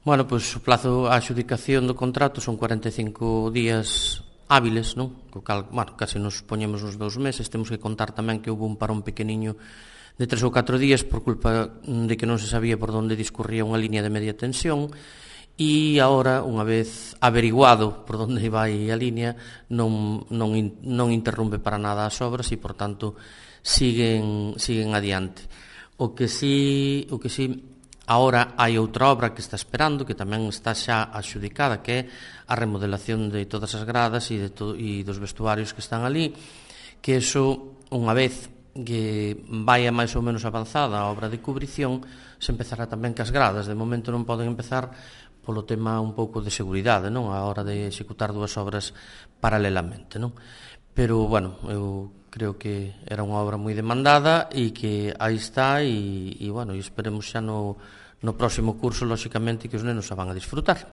Bueno, pois o plazo a adxudicación do contrato son 45 días hábiles, non? Co cal, bueno, case nos poñemos nos 2 meses. Temos que contar tamén que houve un parón pequeniño de 3 ou 4 días por culpa de que non se sabía por onde discurría unha línea de media tensión, e agora, unha vez averiguado por onde vai a línea, non interrompe para nada as obras e, por tanto, siguen adiante. O que sí, agora hai outra obra que está esperando, que tamén está xa adxudicada, que é a remodelación de todas as gradas e dos vestuarios que están ali, que eso, unha vez que vai máis ou menos avanzada a obra de cubrición, se empezará tamén cas gradas. De momento non poden empezar polo tema un pouco de seguridade, non, a hora de executar dúas obras paralelamente, non? Pero, bueno, eu creo que era unha obra moi demandada e que aí está e bueno, e esperemos xa no próximo curso, lóxicamente, que os nenos a van a disfrutar.